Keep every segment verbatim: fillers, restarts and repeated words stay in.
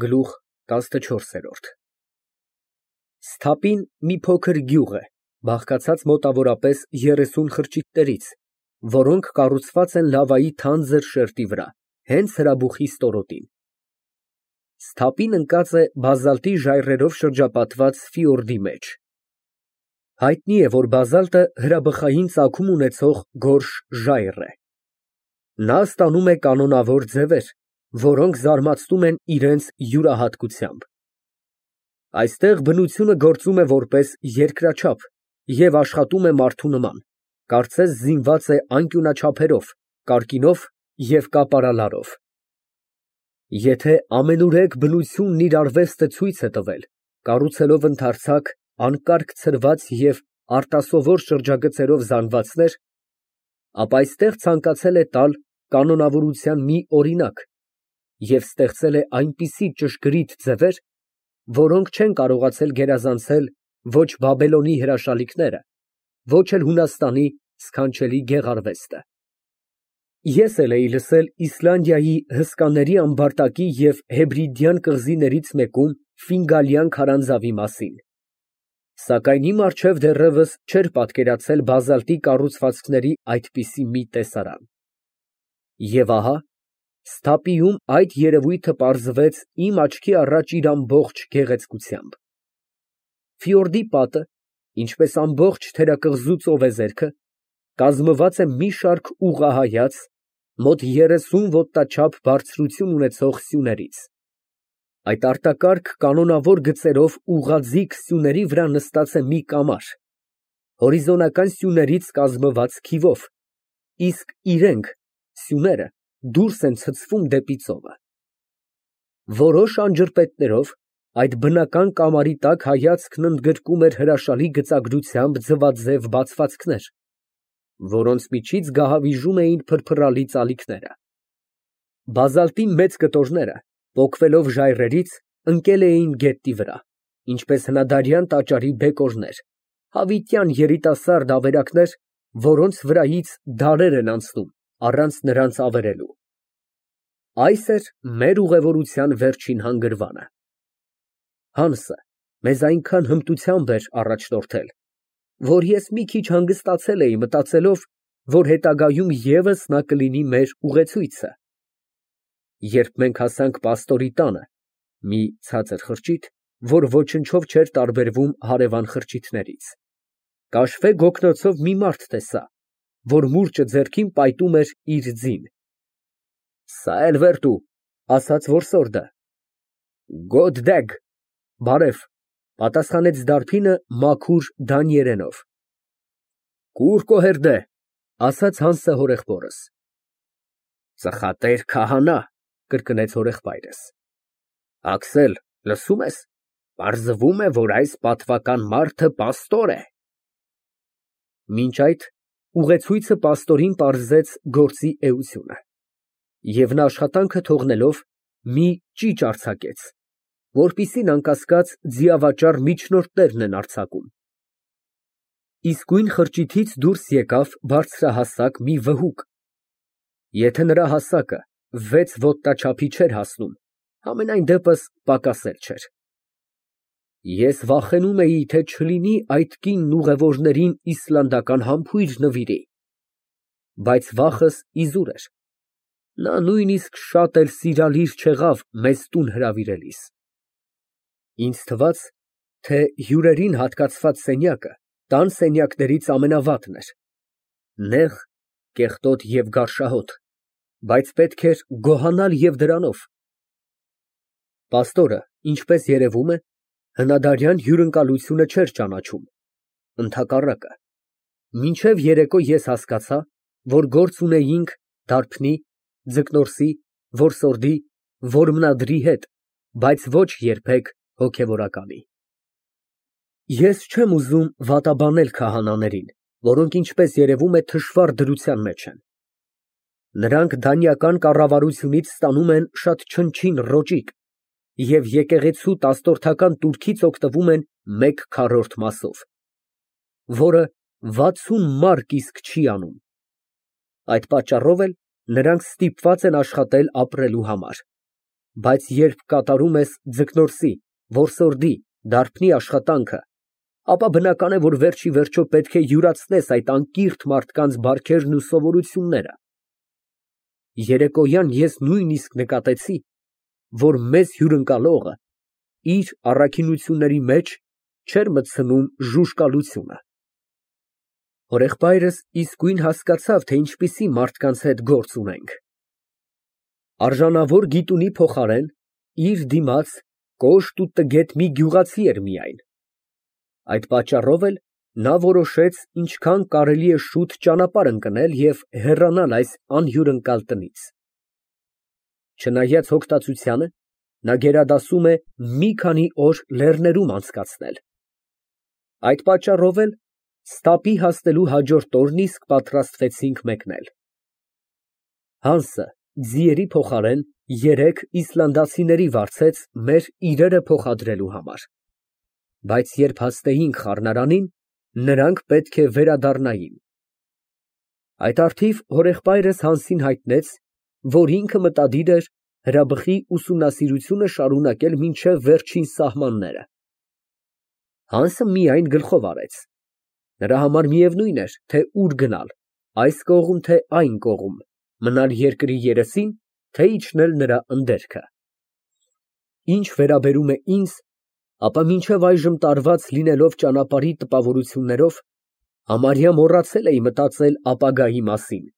Գլուխ տասնչորս։ Սթափին մի փոքր գյուղ է, բաղկացած մոտավորապես երեսուն խրճիթներից, որոնք կառուցված են լավայի թանձր շերտի վրա, հենց հրաբուխի ստորոտին։ Սթափին ընկած է բազալտի ժայռերով շրջապատված ֆիորդի մեջ։ Հայտնի է, որ բազալտը հրաբխային ծագում ունեցող գորշ ժայռ է։ Նա ստանում է կանոնավոր ձևեր, որոնք զարմացնում են իրենց յուրահատկությամբ։ Այստեղ բնությունը գործում է որպես երկրաչափ և աշխատում է մարդու նման, կարծես զինված է անկյունաչափերով, կարկինով և կապարալարով։ Եթե ամենուրեք բնությունն իր արվեստը ցույց է տվել, կառուցելով ընդարձակ, անկարգ ցրված և արտասովոր շրջագծերով զանգվածներ, ապա այստեղ ցանկացել է տալ կանոնավորության մի օրինակ և ստեղծել է այնպիսի ճշգրիտ ձևեր, որոնք չեն կարողացել գերազանցել ոչ Բաբելոնի հրաշալիքները, ոչ էլ Հունաստանի սքանչելի գեղարվեստը։ Ես էլ էի լսել Իսլանդիայի հսկաների ամբարտակի և Հեբրիդյան կղզիներից մեկում Ֆինգալյան քարանձավի մասին, սակայն իմ առջև դեռևս չէր պատկերացել բազալտի կառուցվածքների այդպիսի մի տեսարան։ Եվ ահա Սթափիում այդ երևույթը պարզվեց իմ աչքի առաջ իր ամբողջ գեղեցկությամբ։ Ֆիորդի պատը, ինչպես ամբողջ թերակղզու ծովեզերքը, կազմված է մի շարք ուղղահայաց, մոտ երեսուն ոտնաչափ բարձրություն ունեցող սյուներից։ Այդ արտակարգ կանոնավոր գծերով ուղղաձիգ սյուների վրա նստած է մի կամար, հորիզոնական սյուներից կազմված քիվով, իսկ իրենք (սյուները) դուրս են ցցվում դեպի ծովը։ Որոշ անջրպետներով այդ բնական կամարի տակ հայացքն ընդգրկում էր հրաշալի գծագրությամբ ձվաձև բացվածքներ, որոնց միջից գահավիժում էին փրփռալի ծալիքները։ Բազալտի մեծ կտորները, պոկվելով ժայռերից, ընկել էին գետնի վրա, ինչպես հնադարյան տաճարի բեկորներ, հավիտյան երիտասարդ ավերակներ, որոնց վրայից դարեր են անցնում առանց նրանց ավերելու։ Այս էր մեր ուղևորության վերջին հանգրվանը։ Հանսը մեզ այնքան հմտությամբ էր առաջնորդել, որ ես մի քիչ հանգստացել էի, մտածելով, որ հետագայում ևս նա կլինի մեր ուղեցույցը։ Երբ մենք հասանք պաստորի տանը, մի ցածր խրճիթ, որ ոչնչով չէր տարբերվում հարևան խրճիթներից, կաշվե գոգնոցով մի մարդ տեսա, որ մուրճը ձեռքին պայտում էր իր ձին։ «Սա էլ վերտու», ասաց որսորդը։ «Գոդ դեգ» (բարև), պատասխանեց դարբինը մաքուր դանիերենով։ «Կուր կոհերդե», ասաց Հանսը հորեղբորս։ «Ծխատեր քահանա», կրկնեց հորեղբայրս։ «Աքսել, լսո՞ւմ ես, պարզվում է, որ այս պատվական մարդը պաստոր է»։ Մինչ այդ ուղեցույցը պաստորին պարզեց գործի էությունը, և նա աշխատանքը թողնելով, մի ճիճ արձակեց, որպիսին անկասկած ձիավաճառ միջնորդներն են արձակում։ Իսկույն խրճիթից դուրս եկավ բարձրահասակ մի վհուկ։ Եթե նրա հասակը վեց ոտնաչափի չէր հասնում, համենայն դեպս պակաս էլ չէր։ Ես վախենում էի, թե չլինի այդ կինն ուղևորներին իսլանդական համբույր նվիրի, բայց վախս իզուր էր, նա նույնիսկ շատ էլ սիրալիր չեղավ մեզ տուն հրավիրելիս։ Ինձ թվաց, թե հյուրերին հատկացված սենյակը տան սենյակներից ամենավատն էր, նեղ, կեղտոտ և գարշահոտ, բայց պետք էր գոհանալ և դրանով։ Պաստորը, ինչպես երևում է, հնադարյան հյուրընկալությունը չէր ճանաչում, ընդհակառակը, մինչև երեկո ես հասկացա, որ գործ ունեինք դարբնի, ձկնորսի, որսորդի, որմնադրի հետ, բայց ոչ երբեք հոգևորականի։ Ես չեմ ուզում վատաբանել քահանաներին, որոնք, ինչպես երևում է, թշվառ դրության մեջ են։ Նրանք դանիական կառավարությունից ստանում են շատ չնչին ռոճիկ և եկեղեցու տասնորդական տուրքից օգտվում են մեկ քառորդ մասով, որը վաթսուն մարկ իսկ չի անում։ Այդ պատճառով էլ նրանք ստիպված են աշխատել ապրելու համար։ Բայց երբ կատարում ես ձկնորսի, որսորդի, դարբնի աշխատանքը, ապա բնական է, որ վերջ ի վերջո պետք է յուրացնես այդ անկիրթ մարդկանց բարքերն ու սովորությունները։ Երեկոյան ես նույնիսկ նկատեցի, որ մեզ հյուրընկալողը իր առաքինությունների մեջ չէր մտցնում ժուժկալությունը։ Հորեղբայրս իսկույն հասկացավ, թե ինչպիսի մարդկանց հետ գործ ունենք։ Արժանավոր գիտունի փոխարեն իր դիմաց կոշտ ու տգետ մի գյուղացի էր միայն։ Այդ պատճառով էլ նա որոշեց ինչքան կարելի է շուտ ճանապարհ ընկնել և հեռանալ այս անհյուրընկալ տնից։ Չնայած հոգտացությանը, նա գերադասում է մի քանի օր լեռներում անցկացնել։ Այդ պատճառով էլ Ստապի հասնելու հաջորդ օրն իսկ պատրաստվեցինք մեկնել։ Հանսը ձիերի փոխարեն երեք իսլանդացիների վարձեց մեր իրերը փոխադրելու համար, բայց երբ հասնեինք խառնարանին, նրանք պետք է վերադառնային։ Այդ առթիվ հորեղբայրս Հանսին հայտնեց, որ ինքը մտադիր էր հրաբխի ուսումնասիրությունը շարունակել մինչև վերջին սահմանները։ Հանսը միայն գլխով արեց։ Նրա համար միևնույն էր, թե ուր գնալ, այս կողմ, թե այն կողմ, մնալ երկրի երեսին, թե իջնել նրա ընդերքը։ Ինչ վերաբերում է ինձ, ապա մինչև այժմ տարված լինելով ճանապարհի տպավորություններով, համարյա մոռացել էի մտածել ապագայի մասին,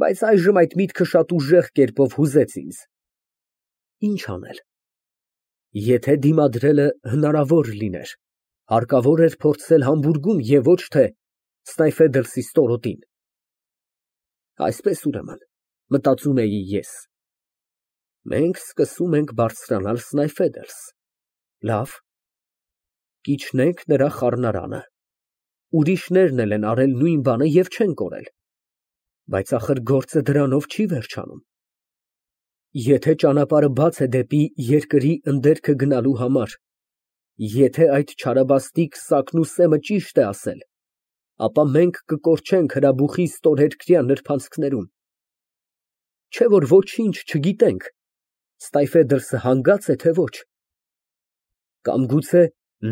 բայց այժմ այդ միտքը շատ ուժեղ կերպով հուզեց ինձ։ Ինչ անել։ Եթե դիմադրելը հնարավոր լիներ, հարկավոր էր փորձել Համբուրգում և ոչ թե Սնայֆեդերսի ստորոտին։ Այսպես, ուրեմն, մտածում էի ես, մենք սկսում ենք բարձրանալ Սնայֆեդերս, լավ, կիջնենք նրա խառնարանը, ուրիշներն էլ են արել նույն բանը և չեն կորել, բայց ախր գործը դրանով չի վերջանում։ Եթե ճանապարհը բաց է դեպի երկրի ընդերքը գնալու համար, եթե այդ չարաբաստիկ Սակնուսեմը ճիշտ է ասել, ապա մենք կկորչենք հրաբուխի ստորհերկրյա նրբանցքներում։ Չէ՞ որ ոչինչ չգիտենք, Սնայֆեդերսը հանգա՞ծ է, թե ոչ։ Կամ գուցե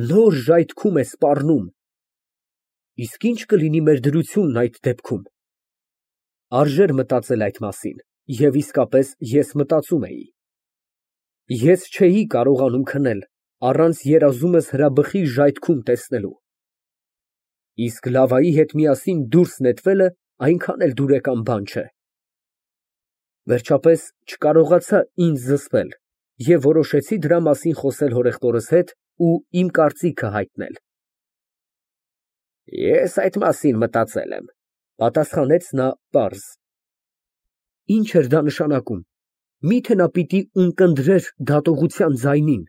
նոր ժայթքում է սպառնում։ Իսկ ի՞նչ կլինի մեր դրությունն այդ դեպքում։ Արժեր մտածել այդ մասին, և իսկապես ես մտածում էի։ Ես չէի կարողանում քնել առանց երազումս հրաբխի ժայթքում տեսնելու։ Իսկ Լավայի հետ միասին դուրս նետվելը այնքան էլ դուրեկան բան չէ։ Վերջապես չկարողացա ինձ զսպել և որոշեցի դրա մասին խոսել հորեղբորս հետ ու իմ կարծիքը հայտնել։ Ես այդ մասին մտածել եմ, պատասխանեց նա պարզ։ Ինչ էր դա նշանակում, միթե նա պիտի ունկնդրեր դատողության ձայնին։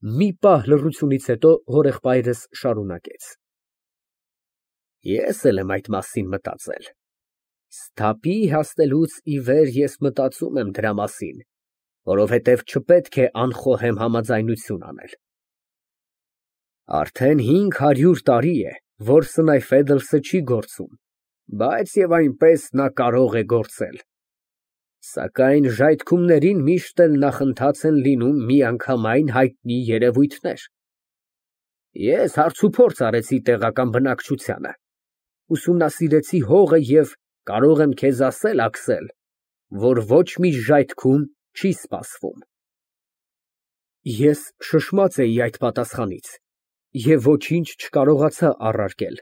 Մի պահ լռությունից հետո հորեղբայրս շարունակեց. Ես էլ եմ այդ մասին մտածել։ Ստապի հասնելուց ի վեր ես մտածում եմ դրա մասին, որովհետև չպետք է անխոհեմ համաձայնություն անել։ Արդեն հինգ հարյուր տարի է, որ Սնայֆեդերսը չի գործում, բայց և այնպես նա կարող է գործել։ Սակայն ժայթքումներին միշտ էլ նախընթաց են լինում միանգամայն հայտնի երևույթներ։ Ես հարցուփորձ արեցի տեղական բնակչությանը, ուսումնասիրեցի հողը և կարող եմ քեզ ասել, Աքսել, որ ոչ մի ժայթքում չի սպասվում։ Ես շշմած էի այդ պատասխանից և ոչինչ չկարողացա առարկել։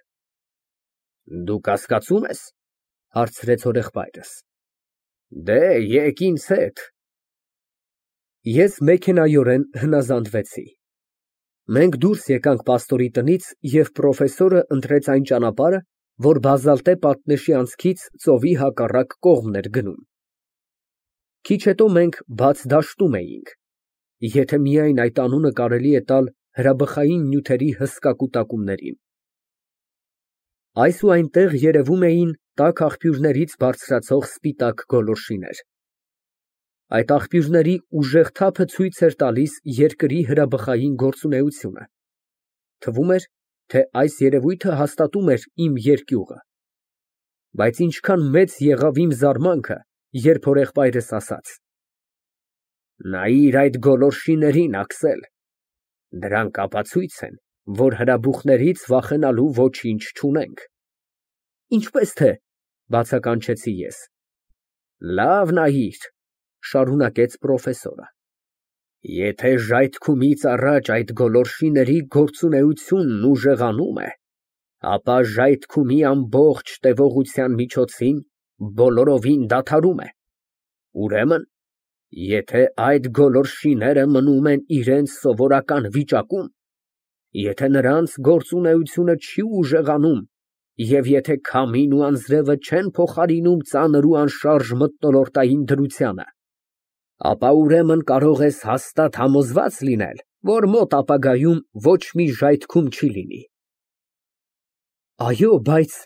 Դու կասկածո՞ւմ ես, հարցրեց հորեղբայրս։ Դե, եկ ինձ հետ։ Ես մեքենայորեն հնազանդվեցի։ Մենք դուրս եկանք պաստորի տնից, և պրոֆեսորը ընտրեց այն ճանապարհը, որ բազալտե պատնեշի անցքից ծովի հակառակ կողմն էր գնում։ Քիչ հետո մենք բաց դաշտում էինք, եթե միայն այդ անունը կարելի է տալ հրաբխային նյութերի հսկա կուտակումներին։ Այս ու այնտեղ երևում էին տաք աղբյուրներից բարձրացող սպիտակ գոլորշիներ։ Այդ աղբյուրների ուժեղ թափը ցույց էր տալիս երկրի հրաբխային գործունեությունը։ Թվում էր, թե այս երևույթը հաստատում էր իմ երկյուղը։ Բայց ինչքան մեծ եղավ իմ զարմանքը, երբ հորեղբայրս ասաց. Նայիր այդ գոլորշիներին, Աքսել, դրանք ապացույց են, որ հրաբուխներից վախենալու ոչինչ չունենք։ Ինչպես թե, բացականչեցի ես։ Լավ նայիր, շարունակեց պրոֆեսորը, եթե ժայթքումից առաջ այդ գոլորշիների գործունեությունն ուժեղանում է, ապա ժայթքումի ամբողջ տևողության միջոցին բոլորովին դադարում է։ Ուրեմն, եթե այդ գոլորշիները մնում են իրենց սովորական վիճակում, եթե նրանց գործունեությունը չի ուժեղանում, և եթե քամին ու անձրևը չեն փոխարինում ծանր ու անշարժ մթնոլորտային դրությանը, ապա ուրեմն կարող ես հաստատ համոզված լինել, որ մոտ ապագայում ոչ մի ժայթքում չի լինի։ Այո, բայց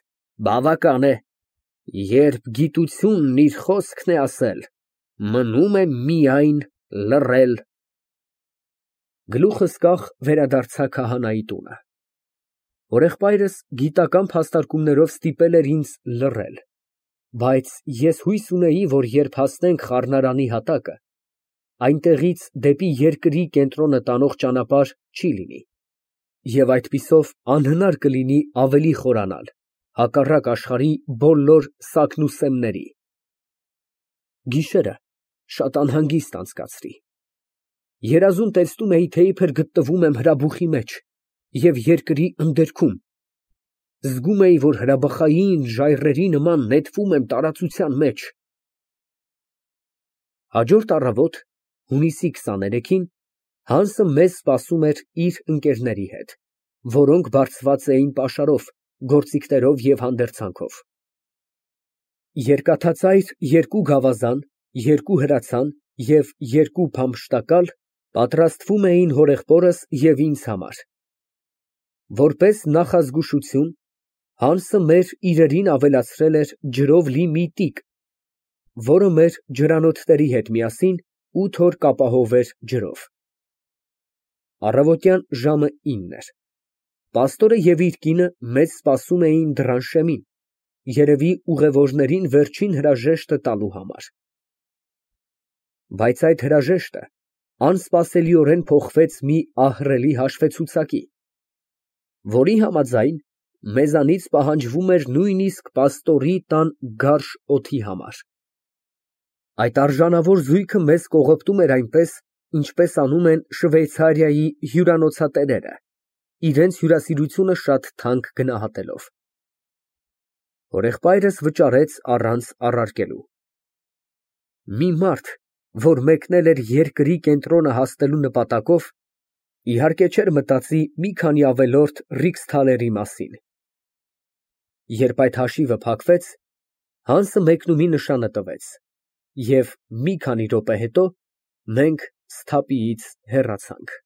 բավական է, երբ գիտությունն իր խոսքն է ասել, մնում է միայն լռել։ Գլուխս կախ վերադարձա քահանայի տունը։ Հորեղբայրս գիտական փաստարկումներով ստիպել էր ինձ լռել, բայց ես հույս ունեի, որ երբ հասնենք խառնարանի հատակը, այնտեղից դեպի երկրի կենտրոնը տանող ճանապարհ չի լինի, և այդպիսով անհնար կլինի ավելի խորանալ, հակառակ աշխարհի բոլոր սակնուսեմների։ Գիշերը շատ անհանգիստ անցկացրի։ Երազում տեսնում էի, թե իբր գտնվում եմ հրաբուխի մեջ և երկրի ընդերքում։ Զգում էի, որ հրաբխային ժայռերի նման նետվում եմ տարածության մեջ։ Հաջորդ առավոտ, հունիսի քսաներեքին, Հանսը մեզ սպասում էր իր ընկերների հետ, որոնք բարձված էին պաշարով, գործիքներով և հանդերձանքով։ Երկաթածայր երկու գավազան, երկու հրացան և երկու փամփշտակալ պատրաստվում էին հորեղբորս և ինձ համար։ Որպես նախազգուշություն, Հանսը մեր իրերին ավելացրել էր ջրով լի մի տիկ, որը մեր ջրանոթների հետ միասին ութ օր կապահով էր ջրով։ Առավոտյան ժամը ինն էր։ Պաստորը և իր կինը մեզ սպասում էին դռան շեմին, երևի ուղևորներին վերջին հրաժեշտը տալու համար։ Բայց այդ հրաժեշտը անսպասելիորեն փոխվեց մի ահռելի հաշվեցուցակի, որի համաձայն մեզանից պահանջվում էր նույնիսկ պաստորի տան գարշ օդի համար։ Այդ արժանավոր զույգը մեզ կողոպտում էր այնպես, ինչպես անում են Շվեյցարիայի հյուրանոցատերերը, իրենց հյուրասիրությունը շատ թանկ գնահատելով։ Հորեղբայրս վճարեց առանց առարկելու։ Մի մարդ, որ մեկնել էր երկրի կենտրոնը հասնելու նպատակով, իհարկե չէր մտածի մի քանի ավելորդ ռիքսթալերի մասին։ Երբ այդ հաշիվը փակվեց, Հանսը մեկնումի նշանը տվեց, և մի քանի րոպե հետո մենք Սթափիից հեռացանք։